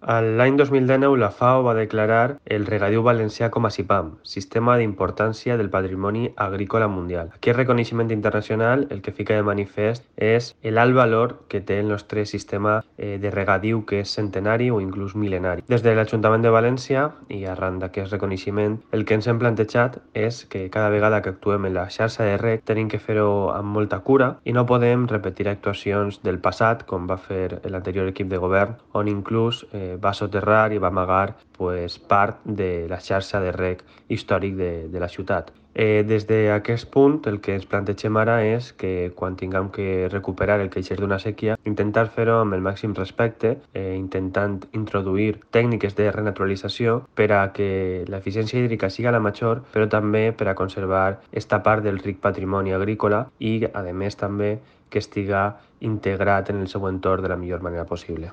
L'any 2019 la FAO va declarar el regadiu valencià com a SIPAM, Sistema d'Importància del Patrimoni Agrícola Mundial. Aquest reconeixement internacional el que fica de manifest és l'alt valor que té el nostre sistema de regadiu, que és centenari o inclús mil·lenari. Des de l'Ajuntament de València, i arran d'aquest reconeixement, el que ens hem plantejat és que cada vegada que actuem en la xarxa de reg tenim que fer-ho amb molta cura i no podem repetir actuacions del passat, com va fer l'anterior equip de govern, on inclús va soterrar i va amagar part de la xarxa de reg històric de la ciutat. Des d'aquest punt el que ens plantegem ara és que quan tinguem que recuperar el que eix d'una sèquia, intentar fer-ho amb el màxim respecte, intentant introduir tècniques de renaturalització per a que l'eficiència hídrica siga la major, però també per a conservar esta part del ric patrimoni agrícola i, a més, també que estiga integrat en el seu entorn de la millor manera possible.